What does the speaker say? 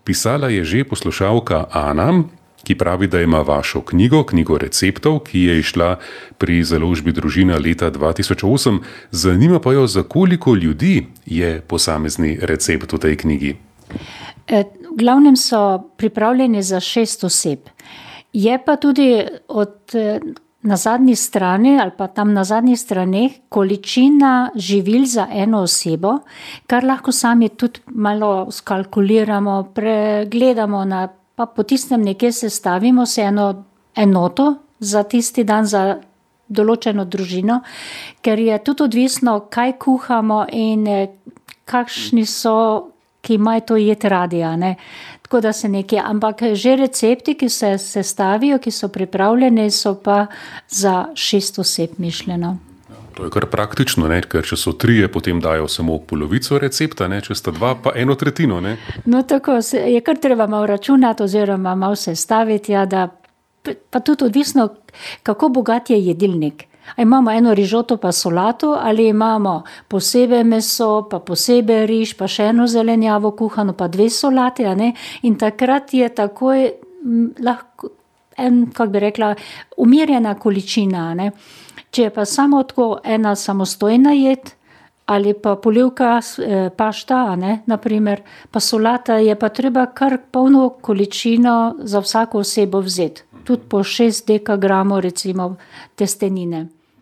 Pisala je že poslušalka Ana, ki pravi, da ima vašo knjigo receptov, ki je izšla pri založbi Družina leta 2008. Zanima pa jo, za koliko ljudi je posamezni recept v tej knjigi. V glavnem so pripravljeni za 6 oseb. Je pa tudi na zadnji strani ali pa tam na zadnjih straneh količina živil za eno osebo, kar lahko sami tudi malo skalkuliramo, pregledamo, pa po tistem nekje sestavimo se eno enoto za tisti dan za določeno družino, ker je tudi odvisno, kaj kuhamo in kakšni so, ki imajo to jed radi, ne. Tako da se nekje, ampak že recepti, ki se sestavijo, ki so pripravljeni, so pa za 6 oseb mišljeno. To je kar praktično, ne? Ker če so 3, potem dajo samo polovico recepta, ne? Če sta 2, pa 1/3, ne? No tako, je kar treba malo računati oziroma malo sestaviti, ja, da pa tudi odvisno, kako bogat je jedilnik. A imamo eno rižoto pa solato, ali imamo posebej meso, pa posebej riž, pa še eno zelenjavo kuhano, pa 2 solate, a ne? In takrat je takoj lahko kako bi rekla, umirjena količina, ne? Če je pa samo tako ena samostojna jed, ali pa polivka pašta, a ne, naprimer, pa solata, je pa treba kar polno količino za vsako osebo vzeti. Tudi po 6 dekagramov recimo testenine.